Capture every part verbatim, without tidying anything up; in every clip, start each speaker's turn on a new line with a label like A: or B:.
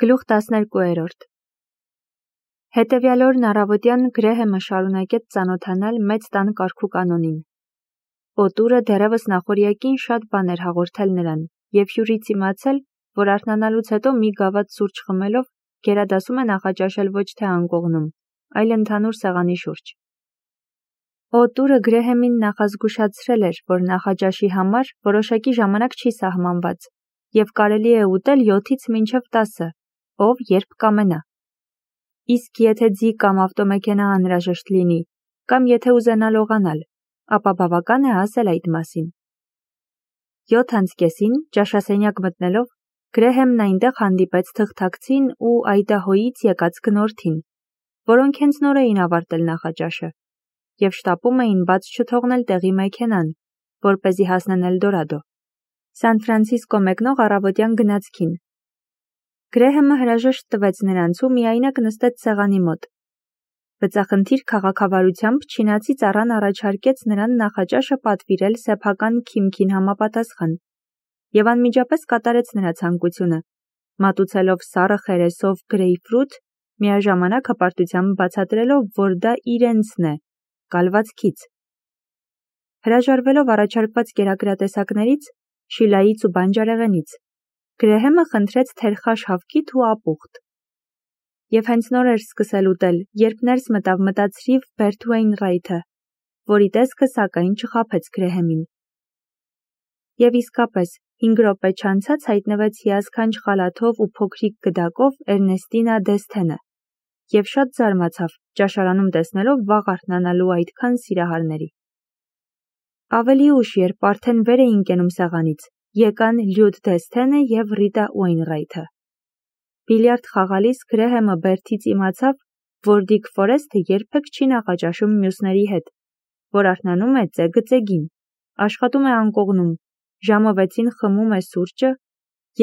A: Գլուխ տասներկուերորդ Հետևյալ օրն առավոտյան Գրեհեմը շարունակեց ծանոթանալ մեծ տան կարգու կանոնին։ Օտուրը դեռևս նախօրյակին շատ բան էր հաղորդել նրան, և հյուրից իմացել, որ արթնանալուց հետո մի գավաթ սուրճ խմելով գերադասում է նախաճաշել ոչ թե անկողնում, այլ ընդհանուր սեղանի շուրջ։ Օտուրը Գրեհեմին նախազգուշացրել էր, որ նախաճաշի համար որոշակի ժամանակ չի սահմանված, և կարելի է ուտել յոթից մինչև տասը, ով երբ կամենա։ Իսկ եթե ձի կամ ավտոմեքենա անհրաժեշտ լինի, կամ եթե ուզենա լողանալ, ապա բավական է ասել այդ մասին։ Յոթ անց կեսին, ճաշասենյակ մտնելով, Գրեհեմն այնտեղ հանդիպեց թղթակցին ու Այդահոյից եկած գնորդին, որոնք հենց նոր էին ավարտել նախաճաշը, և շտապում էին բաց չթողնել տեղի մեքենան, որպեսզի հասնեն Էլդորադո, Սան Ֆրանցիսկո մեկնող առավոտյան գնացքին։ Գրեհեմը հրաժեշտ տվեց նրանց ու միայնակ նստեց սեղանի մոտ։ Բծախնդիր քաղաքավարությամբ չինացի ծառան առաջարկեց նրան նախաճաշը պատվիրել սեփական քիմքին համապատասխան, և անմիջապես կատարեց նրա ցանկությունը, մատուցելով սառը խերեսով գրեյփֆրութ, միաժամանակ հպարտությամբ բացատրելով, որ դա իրենցն է, կալվածքից։ Հրաժարվելով առաջարկված կերակրատեսակներից, շիլայից ու բանջարեղենից, Գրեհեմը խնդրեց թերխաշ հավկիթ ու ապուխտ։ Եվ հենց նոր էր սկսել ուտել, երբ ներս մտավ մտածրիվ Բերթ Ուեյնռայթը, որի տեսքը սակայն չխաբեց Գրեհեմին։ Եվ իսկապես, հինգ րոպե չանցած հայտնվեց հիասքանչ խալաթով ու փոքրիկ գդակով Էրնեստինա Դեսթենը, և շատ զարմացավ, ճաշարանում տեսնելով վաղ արթնանալու այդքան սիրահարների։ Ավելի ուշ, երբ արդեն վեր էին կենում սեղանից, եկան Լյուդ Դեսթենը և Ռիտա Ուեյնռայթը։ Բիլիարդ խաղալիս Գրեհեմը Բերթից իմացավ, որ Դիկ Ֆորեսթը երբեք չի նախաճաշում մյուսների հետ, որ արթնանում է ծեգը-ծեգին, աշխատում է անկողնում, ժամը վեցին խմում է սուրճը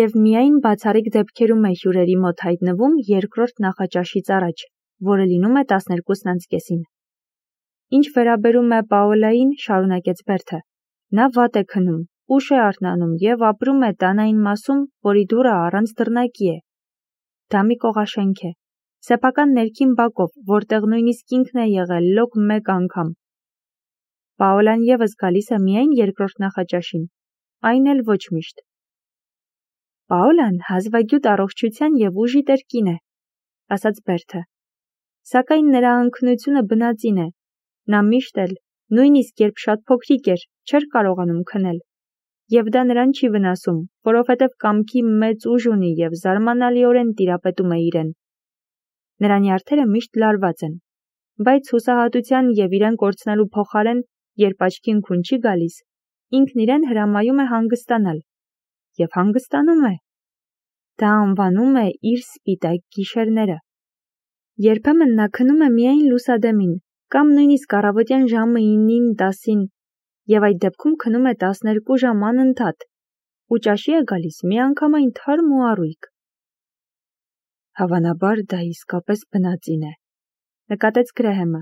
A: և միայն բացառիկ դեպքերում է հյուրերի մոտ հայտնվում երկրորդ նախաճաշից առաջ, որը լինում է տասներկուսն անց կեսին։ Ինչ վերաբերում է Պաոլային, շարունակեց Բերթը, նա վատ է քնում, ուշ է արթնանում և ապրում է տան այն մասում, որի դուռը առանց դռնակի է։ Դա մի կողաշենք է, սեփական ներքին բակով, որտեղ նույնիսկ ինքն է եղել լոկ մեկ անգամ։ Պաոլան ևս գալիս է միայն երկրորդ նախաճաշին, այն էլ ոչ միշտ։ Պաոլան հազվագյուտ առողջության և ուժի տեր կին է, ասաց Բերթը, սակայն նրա անքնությունը բնածին է, նա միշտ էլ, նույնիսկ երբ շատ փոքրիկ էր, չէր կարողանում քնել, և դա նրան չի վնասում, որովհետև կամքի մեծ ուժ ունի և զարմանալիորեն տիրապետում է իրեն։ Նրա նյարդերը միշտ լարված են, բայց հուսահատության և իրեն կորցնելու փոխարեն, երբ աչքին քուն չի գալիս, ինքն իրեն հրամայում է հանգստանալ, և հանգստանում է։ Դա անվանում է իր սպիտակ գիշերները։ Երբեմն նա քնում է միայն լուսադեմին, կամ նույնիսկ առավոտյան ժամը ինին տասին, և այդ դեպքում քնում է տասներկու ժամ անընդհատ, ու ճաշի է գալիս միանգամայն թարմ ու առույգ։ Հավանաբար դա իսկապես բնածին է, նկատեց Գրեհեմը։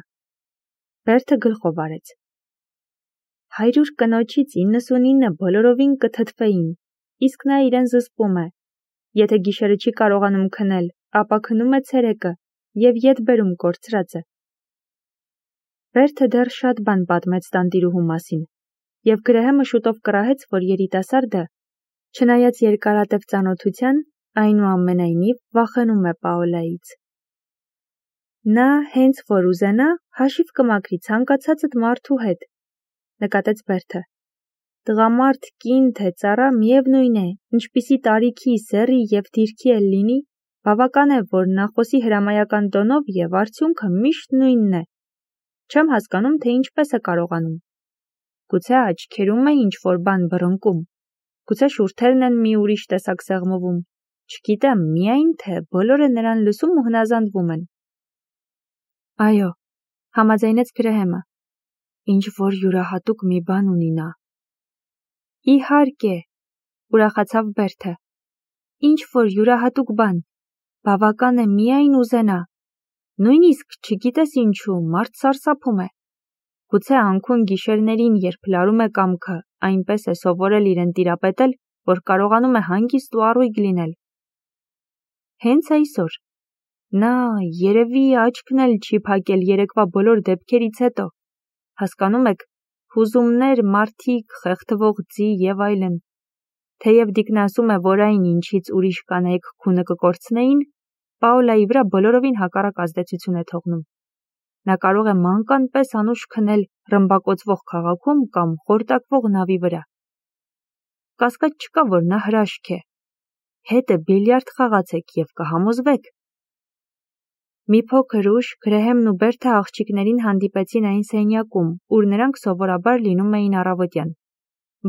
A: Բերթը գլխով արեց։ Հարյուր կնոջից իննսունինը բոլորովին կթթվեին, իսկ նա իրեն զսպում է։ Եթե գիշերը չի կարողանում քնել, ապա քնում է ցերեկը և ետ բերում կորցրածը։ Բերթը դեռ շատ բան պատմեց տանտիրուհու մասին, և Գրեհեմը շուտով կռահեց, որ երիտասարդը, չնայած երկարատև ծանոթության, այնուամենայնիվ վախենում է Պաոլայից։ Նա, հենց որ ուզենա, հաշիվ կմաքրի ցանկացածդ մարդու հետ, նկատեց Բերթը։ Տղամարդ, կին, թե ծառա, միևնույն է, ինչպիսի տարիքի, սեռի և դիրքի էլ լինի, բավական է, որ նա խոսի հրամայական տոնով և արդյունքը միշտ նույնն է։ Չեմ հասկանում, թե ինչպես է կարողանում։ Գուցե աչքերում է ինչ-որ բան բռնկում, գուցե շուրթերն են մի ուրիշ տեսակ սեղմվում, չգիտեմ, միայն թե բոլորը նրան լսում ու հնազանդվում են։ Այո, համաձայնեց Գրեհեմը, ինչ-որ յուրահատուկ մի բան ունի նա։ Իհարկե, ուրախացավ Բերթը, ինչ-որ յուրահատուկ բան, բավական է միայն ուզենա, նույնիսկ չգիտես ինչու, մարդ սարսափում է։ Գուցե անքուն գիշերներին, երբ լարում է կամքը, այնպես է սովորել իրեն տիրապետել, որ կարողանում է հանգիստ ու առույգ լինել։ Հենց այսօր։ Նա երևի աչքն էլ չի փակել երեկվա բոլոր դեպքերից հետո։ Հասկանում եք, հուզումներ, մարդիկ, խեղդվող ձի եւ այլն։ Թեև Դիկն ասում է, որ այն ինչից ուրիշ կանայք քունը կկորցնեին, Պաոլայի վրա բոլորովին հակառակ ազդեցություն է թողնում։ Նա կարող է մանկան պես անուշ քնել ռմբակոծվող քաղաքում կամ խորտակվող նավի վրա։ Կասկած չկա, որ նա հրաշք է։ Հետը բիլիարդ խաղացեք եւ կհամոզվեք։ Մի փոքր ուշ Գրեհեմն ու Բերթը աղջիկներին հանդիպեցին այն սենյակում, ուր նրանք սովորաբար լինում էին առավոտյան։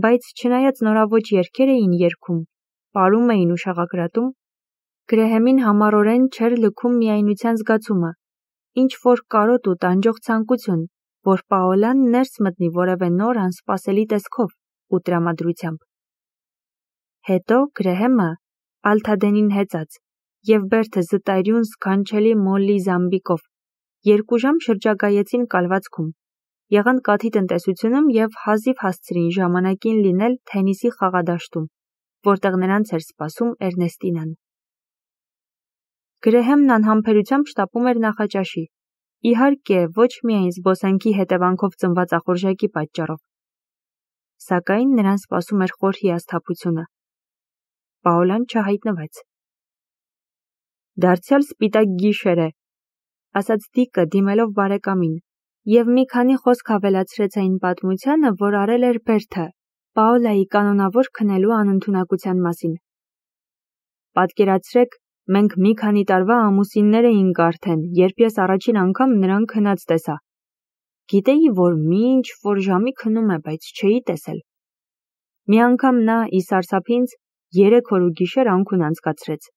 A: Բայց չնայած նորաոճ երգեր էին երգում, պարում էին ու շաղակրատում, Գրեհեմին համառորեն չէր լքում միայնության զգացումը, ինչ որ կարոտ ու տանջող ցանկություն, որ Պաոլան ներս մտնի որևէ նոր անսպասելի տեսքով ու տրամադրությամբ։ Հետո Գրեհեմը, Ալթադենին հեծած, եւ Բերթը զտայրյուն սքանչելի մոլլի զամբիկով երկու ժամ շրջագայեցին կալվածքում, եղան կաթի տնտեսությունում եւ հազիվ հասցրին ժամանակին լինել թենիսի խաղադաշտում, որտեղ նրանց էր սպասում Էրնեստինան։ Գրեհեմն անհամբերությամբ շտապում էր նախաճաշի, իհարկե ոչ միայն զբոսանքի հետևանքով ծնված ախորժակի պատճառով, սակայն նրան սպասում էր խոր հիասթափությունը։ Պաոլան չհայտնվեց։ Դարձյալ սպիտակ գիշեր է, ասաց Դիկը դիմելով բարեկամին, եւ մի քանի խոսք ավելացրեց այն պատմությանը, որ արել էր Բերթը, Պաոլայի կանոնավոր քնելու անընդունակության մասին։ Պատկերացրեք, մենք մի քանի տարվա ամուսիններ էինք արդեն, երբ ես առաջին անգամ նրան քնած տեսա։ Գիտեի, որ մի ինչ որ ժամի քնում է, բայց չէի տեսել։ Մի անգամ նա ի սարսափ ինձ երեք օր ու գիշեր անքուն անցկացրեց։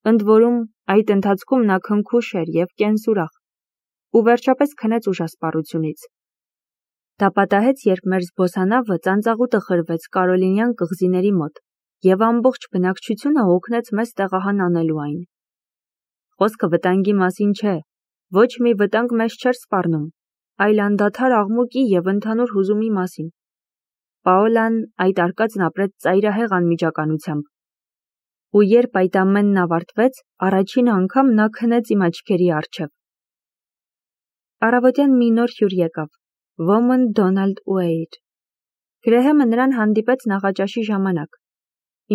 A: Ընդ որում, այդ ընթացքում նա քնքուշ էր եւ կենսուրախ, ու վերջապես քնեց ուժասպառությունից։ Դա պատահեց, երբ մեր զբոսանավը ծանծաղուտը խրվեց Կարոլինյան կղզիների մոտ, եւ ամբողջ բնակչությունը օգնեց մեզ տեղահան անելու այն։ Խոսքը վտանգի մասին չէ, ոչ մի վտանգ մեզ չէր սպառնում, այլ անդադար աղմուկի եւ ընդհանուր հուզումի մասին։ Պաոլան այդ արկածն ապրեց ծայրահեղ անմիջականությամբ։ Ու երբ այդ ամենն ավարտվեց, առաջին անգամ նա քնեց իմ աչքերի առջև։ Առավոտյան մի նոր հյուր եկավ, ոմն Դոնալդ Ուեյր։ Գրեհեմը նրան հանդիպեց նախաճաշի ժամանակ։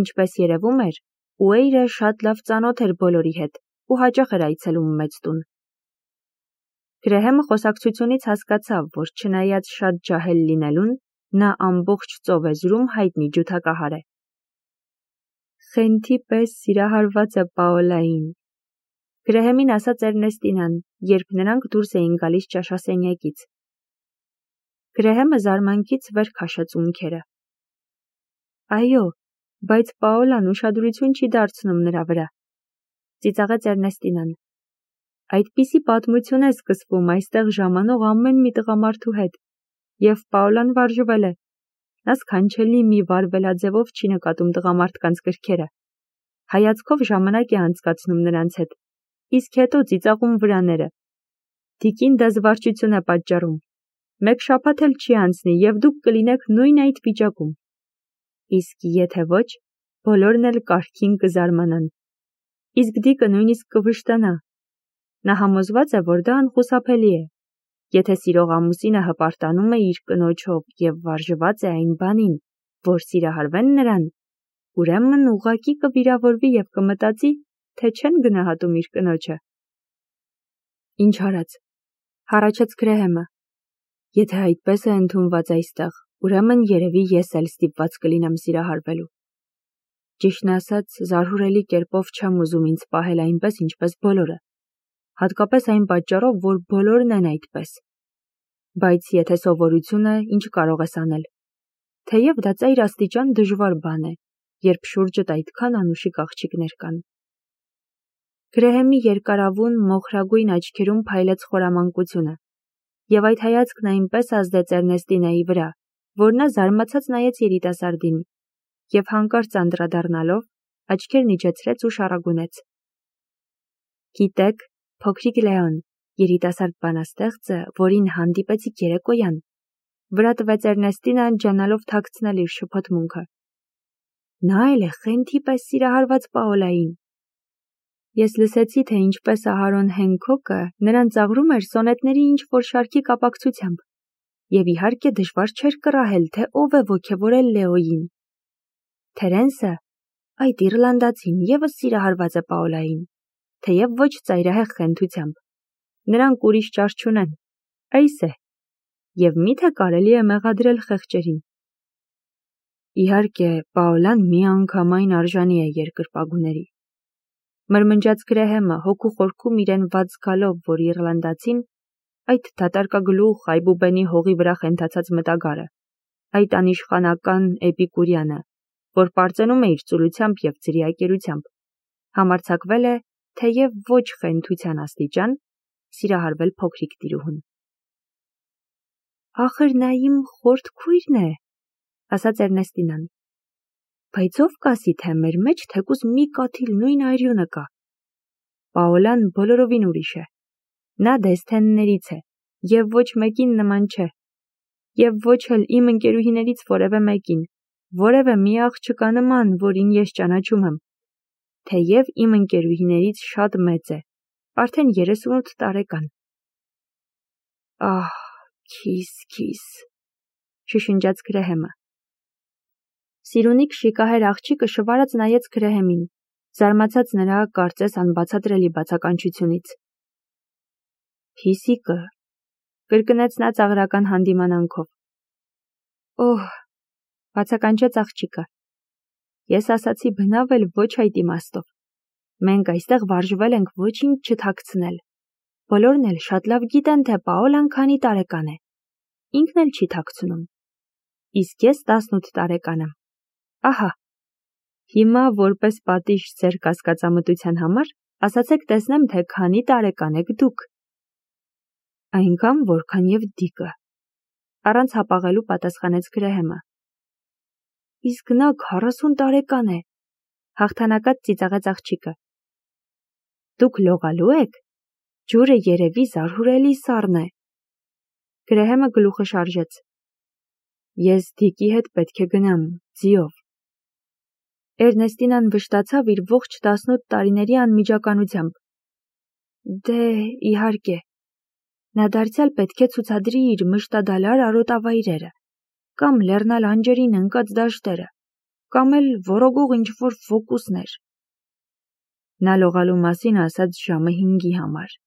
A: Ինչպես երևում էր, Ուեյրը շատ լավ ծանոթ էր բոլորի հետ ու հաճախ էր այցելում մեծ տուն։ Գրեհեմը խոսակցությունից հասկացավ, որ չնայած շատ ջահել լինելուն, նա ամբողջ ծովեզրում հայտնի ջութակահար է։ Խենթի պես սիրահարված է Պաոլային, Գրեհեմին ասաց Էրնեստինան, երբ նրանք դուրս էին գալիս ճաշասենյակից։ Գրեհեմը զարմանքից վեր քաշեց ունքերը։ Այո, բայց Պաոլան ուշադրություն չի դարձնում նրա վրա, ծիծաղեց Էրնեստինան։ Այդպիսի պատմություն է սկսվում այստեղ ժամանող ամեն մի տղամարդու հետ, եւ Պաոլան վարժվել է։ Նա սքանչելի մի վարվելաձևով չի նկատում տղամարդկանց գրքերը։ Հայացքով ժամանակ է անցկացնում նրանց հետ, իսկ հետո ծիծաղում վրաները։ Դիկին դա զվարճություն է պատճառում։ Մեկ շաբաթ էլ չի անցնի, եւ դուք կլինեք նույն այդ վիճակում։ Իսկ եթե ոչ, բոլորն էլ կարգին կզարմանան։ Իսկ Դիկը նույնիսկ կվշտանա։ Նա համոզված է, որ դա անխուսափելի է։ Եթե սիրող ամուսինը հպարտանում է իր կնոջով եւ վարժված է այն բանին, որ սիրահարվեն նրան, ուրեմն ուղղակի կվիրավորվի եւ կմտածի, թե չեն գնահատում իր կնոջը։ Ինչ արած, հառաչեց Գրեհեմը։ Եթե այդպես է ընդունված այստեղ, ուրեմն երևի ես էլ ստիպված կլինեմ սիրահարվելու։ Ճիշտն ասած, զարհուրելի կերպով չեմ ուզում ինձ պահել այնպես, ինչպես բոլորը, հատկապես այն պատճառով, որ բոլորն են այդպես։ Բայց եթե սովորություն է, ինչ կարող ես անել։ Թեև դա ծայր աստիճան դժվար բան է, երբ շուրջդ այդքան անուշիկ աղջիկներ կան։ Գրեհեմի երկարավուն, մոխրագույն աչքերում փայլեց խորամանկությունը, եւ այդ հայացքն այնպես ազդեց Էրնեստինայի վրա, որ նա զարմացած նայեց երիտասարդին, եւ հանկարծ անդրադառնալով, աչքերն իջեցրեց ու շառագունեց. Գիտեք, փոքրիկ Լեոն, երիտասարդ բանաստեղծը, որին հանդիպեցիք երեկոյան, վրա տվեց Էրնեստինան, ջանալով թաքցնել իր շփոթմունքը։ Նա էլ է Խենթի պես սիրահարված Պաոլային։ Ես լսեցի, թե ինչպես Ահարոն Հենքոկը նրան ծաղրում էր սոնետների ինչ-որ շարքի կապակցությամբ, և իհարկե դժվար չէր կռահել, թե ով է ոգևորել Լեոյին։ Թերենսը, այդ իռլանդացին, ևս սիրահարված է Պաոլային, թեև ոչ ծայրահեղ խենթությամբ։ Նրանք ուրիշ ճար չունեն, այս է, և միթե կարելի է մեղադրել խեղճերին։ Իհարկե, Պաոլան միանգամայն արժանի է երկրպագուների։ Մրմնջաց Գրեհեմը հոգու խորքում իրեն վատ զգալով, որ իռլանդացին, այդ դատարկագլուխ Այբուբենի հողի վրա խենթացած մտագարը, այդ անիշխանական Էպիկուրյանը, որ պարծենում է իր ծուլությամբ և ձրիակերությամբ, համարձակվել է, թեև ոչ խենթության աստիճան, սիրահարվել փոքրիկ տիրուհուն։ Ախր նա իմ խորթ քույրն է, ասաց Էրնեստինան, բայց ով կասի, թե մեր մեջ թեկուզ մի կաթիլ նույն արյունը կա։ Պաոլան բոլորովին ուրիշ է։ Նա Դեսթեններից է, և ոչ մեկին նման չէ, և ոչ էլ իմ ընկերուհիներից որևէ մեկին, որևէ մի աղջկա նման, որին ես ճանաչում եմ, թեև իմ ընկերուհիներից շատ մեծ է, արդեն երեսունութ տարեկան։ Ահ, քիս, քիս, շշնջաց Գրեհեմը։ Սիրունիկ շիկահեր աղջիկը շվարած նայեց Գրեհեմին, զարմացած նրա կարծես անբացատրելի բացականչությունից։ Փիսիկը, կրկնեց նա ծաղրական հանդիմանանքով։ Օհ, բացականչեց աղջիկը։ Ես ասացի բնավ էլ ոչ այդ իմաստով։ Մենք այստեղ վարժվել ենք ոչինչ չթաքցնել։ Բոլորն էլ շատ լավ գիտեն, թե Պաոլան քանի տարեկան է։ Ինքն էլ չի թաքցնում։ Իսկ ես տասնութ տարեկան եմ։ Ահա, հիմա որպես պատիժ ձեր կասկածամտության համար, ասացեք տեսնեմ, թե քանի տարեկան եք դուք։ Այնքան, որքան և Դիկը, առանց հապաղելու պատասխանեց Գրեհեմը։ Իսկ նա քառասուն տարեկան է, հաղթանակած ծիծաղեց աղջիկը։ Դուք լողալու եք, ջուրը երևի զարհուրելի սառն է։ Գրեհեմը գլուխը շարժեց։ Ես Դիկի հետ պետք է գնամ, ձիով։ Էրնեստինան վշտացավ իր ողջ տասնութ տարիների անմիջականությամբ։ Դե, իհարկե, նա դարձյալ պետք է ցուցադրի իր մշտադալար արոտավայրերը, կամ լեռնալ անջերին ընկած դաշտերը, կամ էլ որոգող ինչ-որ ֆոկուսներ։ Նա լողալու մասին ասաց ժամը հինգի համար։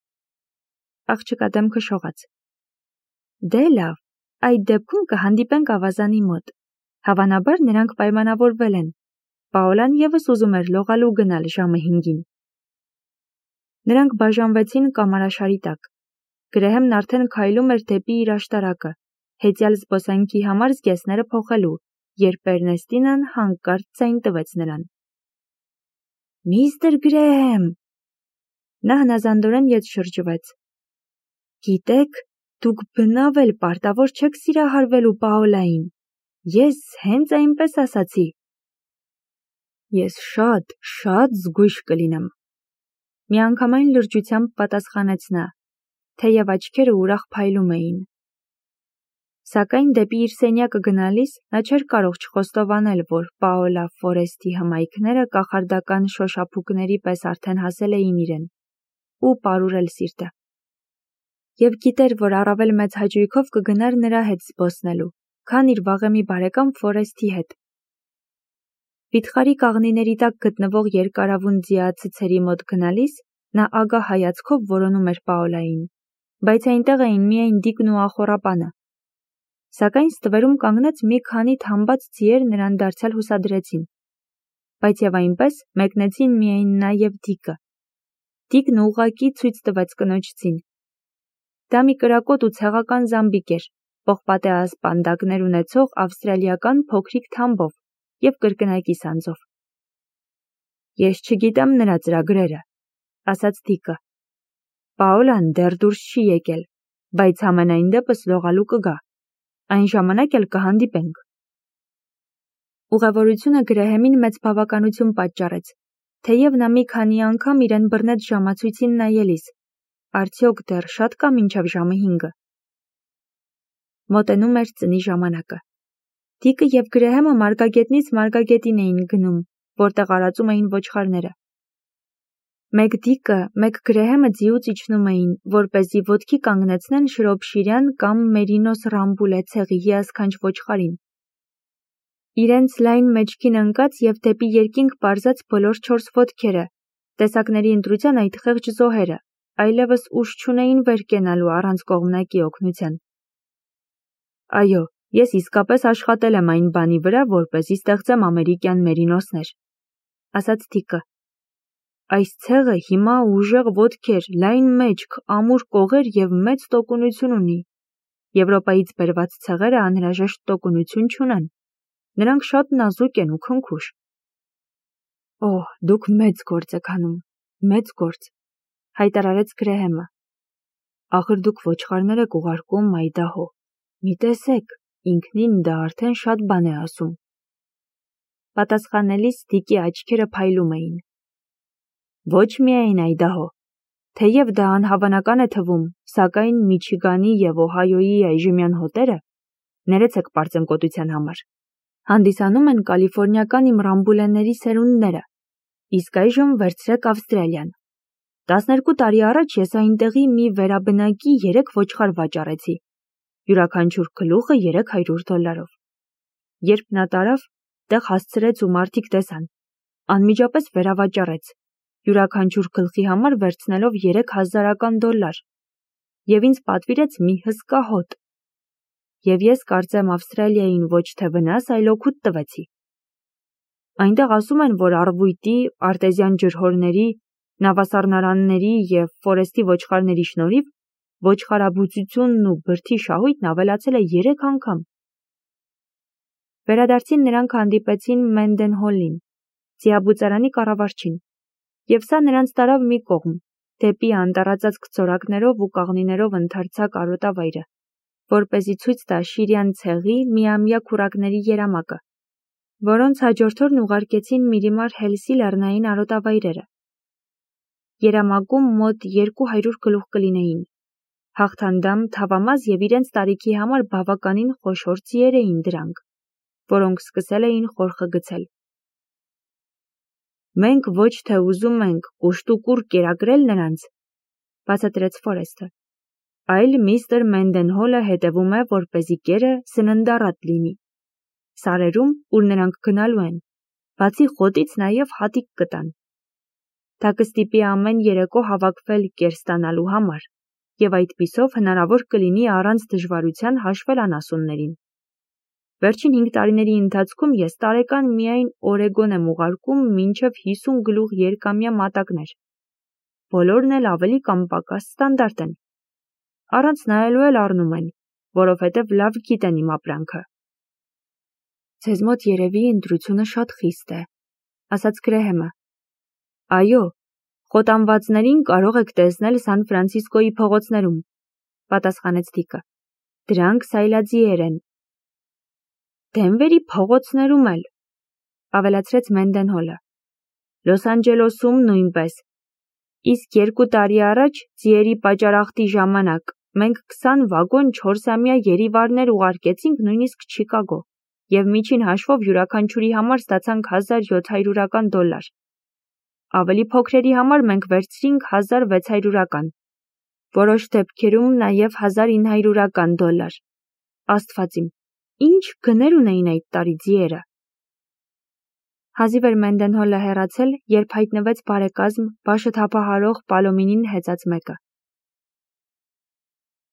A: Աղջկա դեմքը շողաց։ Դե լավ, այդ դեպքում կհանդիպենք ավազանի մոտ։ Հավանաբար նրանք պայմանավորվել են։ Պաոլան ևս ուզում էր լողալու գնալ ժամը հինգին։ Նրանք բաժանվեցին կամարաշարի տակ։ Գրեհեմն արդեն քայլում էր դեպի իր աշտարակը, հեծյալ զբոսանքի համար զգեստները փոխելու, երբ Էրնեստինան հանկարծ ձայն տվեց նրան։ Միստր Գրեհեմ։ Նա հնազանդորեն ետ շրջվեց։ Գիտեք, դուք բնավ էլ պարտավոր չեք սիրահարվելու Պաոլային։ Ես հենց այնպես ասացի։ Ես շատ, շատ զգույշ կլինեմ։ Միանգամայն լրջությամբ պատասխանեց նա, թեև աչքերը ուրախ փայլում էին։ Սակայն դեպի իր սենյակը գնալիս նա չէր կարող չխոստովանել, որ Պաոլա Ֆորեստի հմայքները կախարդական շոշափուկների պես արդեն հասել էին իրեն ու պարուրել սիրտը։ Եվ գիտեր, որ առավել մեծ հաճույքով կգնար նրա հետ զբոսնելու, քան իր վաղեմի բարեկամ Ֆորեստի հետ։ Վիթխարի կաղնիների տակ գտնվող երկարավուն ձիացցերի մոտ գնալիս նա ագահ հայացքով որոնում էր Պաոլային, բայց այնտեղ էին միայն Դիկն ու ախոռապանը։ Սակայն ստվերում կանգնած մի քանի թամբած ձիեր նրան դարձյալ հուսադրեցին, բայց և այնպես մեկնեցին միայն նա և Դիկը։ Դիկն ուղղակի ցույց տվեց կնոջ ձին։ Դա մի կրակոտ ու ցեղական զամբիկ էր, պողպատե ասպանդակներ ունեցող ավստրալիական փոքրիկ թամբով և կրկնակի սանձով։ Ես չգիտեմ նրա ծրագրերը, ասաց Դիկը։ Պաոլան դեռ դուրս չի եկել, բայց համենայն դեպս լողալու կգա։ Այն ժամանակ էլ կհանդիպենք։ Ուղևորությունը Գրեհեմին մեծ բավականություն պատճառեց, թեև նա մի քանի անգամ իրեն բռնեց ժամացույցին նայելիս, արդյոք դեռ շատ կա մինչև ժամը հինգը։ Մոտենում էր ծնի ժամանակը։ Դիկը և Գրեհեմը մարգագետնից մարգագետին էին գնում, որտեղ արածում էին ոչխարները։ Մեկ Դիկը, մեկ Գրեհեմը ձիուց իջնում էին, որպեսզի ոտքի կանգնեցնեն Շրոփշիրյան կամ Մերինոս Ռամբուլե ցեղի հիասքանչ ոչխարին։ Իրենց լայն մեջքին ընկած և դեպի երկինք պարզած բոլոր չորս ոտքերը, տեսակների ընտրության այդ խեղճ զոհերը, այլևս ուժ չունեին վեր կենալու առանց կողմնակի օգնության։ Այո, ես իսկապես աշխատել եմ այն բանի վրա, որպեսզի ստեղծեմ ամերիկյան մերինոսներ, ասաց Դիկը։ Այս ցեղը հիմա ուժեղ ոտքեր, լայն մեջք, ամուր կողեր և մեծ տոկունություն ունի։ Եվրոպայից բերված ցեղերը անհրաժեշտ տոկունություն չունեն։ Նրանք շատ նազուկ են ու քնքուշ։ Օհ, դուք մեծ գործ եք անում, մեծ գործ, հայտարարեց Գրեհեմը։ Ախր դուք ոչխարներ եք ուղարկում Այդահո։ Մի տեսեք, ինքնին դա արդեն շատ բան է ասում։ Պատասխանելիս Դիկի աչքերը փայլում էին։ Ոչ միայն Այդահո, թեև դա անհավանական է թվում, սակայն Միչիգանի և Օհայոյի այժմյան հոտերը, ներեցեք պարծենկոտության համար, հանդիսանում են կալիֆորնիական իմ ռամբուլենների սերունդները, իսկ այժմ վերցրեք Ավստրալիան։ Տասներկու տարի առաջ ես այնտեղի մի վերաբնակի երեք ոչխար վաճառեցի, յուրաքանչյուր գլուխը երեք հարյուր դոլարով։ Երբ նա տարավ, տեղ հասցրեց ու մարդիկ տեսան, անմիջապես վերավաճառեց, յուրաքանչյուր գլխի համար վերցնելով երեք հազարական դոլար, և ինձ պատվիրեց մի հսկա հոտ։ Եվ ես կարծեմ Ավստրալիային ոչ թե վնաս, այլ օգուտ տվեցի։ Այնտեղ ասում են, որ առվույտի, արտեզյան ջրհորների, նավասառնարանների և ֆորեստի ոչխարների շնորհիվ ոչխարաբուծությունն ու բրդի շահույթն ավելացել է երեք անգամ։ Վերադարձին նրանք հանդիպեցին Մենդենհոլին, ձիաբուծարանի կառավարչին, և սա նրանց տարավ մի կողմ, դեպի անտառածածկ ծորակներով ու կաղնիներով ընդարձակ արոտավայրը, որպեսզի ցույց տա Շիրյան ցեղի միամյա քուրակների երամակը, որոնց հաջորդ օրն ուղարկեցին Միրիմար Հելսի լեռնային արոտավայրերը։ Երամակում մոտ երկու հարյուր գլուխ կլինեին, հաղթանդամ, թավամազ և իրենց տարիքի համար բավականին խոշոր ձիեր էին դրանք, որոնք սկսել էին խորխը գցել։ Մենք ոչ թե ուզում ենք կուշտուկուր կերակրել նրանց, բացատրեց Ֆորեսթը, այլ միստր Մենդենհոլը հետևում է, որպեսզի կերը սննդառատ լինի։ Սարերում, ուր նրանք գնալու են, բացի խոտից նաև հատիկ կտան։ Դա կստիպի ամեն երեկո հավաքվել կեր ստանալու համար, և այդպիսով հնարավոր կլինի առանց դժվարության հաշվել անասուններին։ Վերջին հինգ տարիների ընթացքում ես տարեկան միայն Օրեգոն եմ ուղարկում մինչև հիսուն գլուխ երկամյա մատակներ։ Բոլորն էլ ավելի կամ պակաս ստանդարտ են։ Առանց նայելու էլ առնում են, որովհետև լավ գիտեն իմ ապրանքը։ Ձեզ մոտ երևի ընտրությունը շատ խիստ է, ասաց Գրեհեմը։ Այո, խոտանվածներին կարող եք տեսնել Սան Ֆրանցիսկոյի փողոցներում, պատասխանեց Դիկը։ Դրանք սայլաձիեր են։ Դենվերի փողոցներում էլ, ավելացրեց Մենդենհոլը։ Լոս Անջելեսում նույնպես։ Իսկ երկու տարի առաջ, ձիերի պատճառախտի ժամանակ, մենք քսան վագոն չորսամյա երիվարներ ուղարկեցինք նույնիսկ Չիկագո, և միջին հաշվով յուրաքանչյուրի համար ստացանք հազար յոթ հարյուրական դոլար։ Ավելի փոքրերի համար մենք վերցրինք հազար վեց հարյուրական, որոշ դեպքերում նաև հազար ինը հարյուրական դոլար։ Աստված իմ, ինչ գներ ունեին այդ տարի ձիերը։ Հազիվ էր Մենդենհոլը հեռացել, երբ հայտնվեց բարեկազմ, բաշտ հափահարող Պալոմինին հեծած մեկը։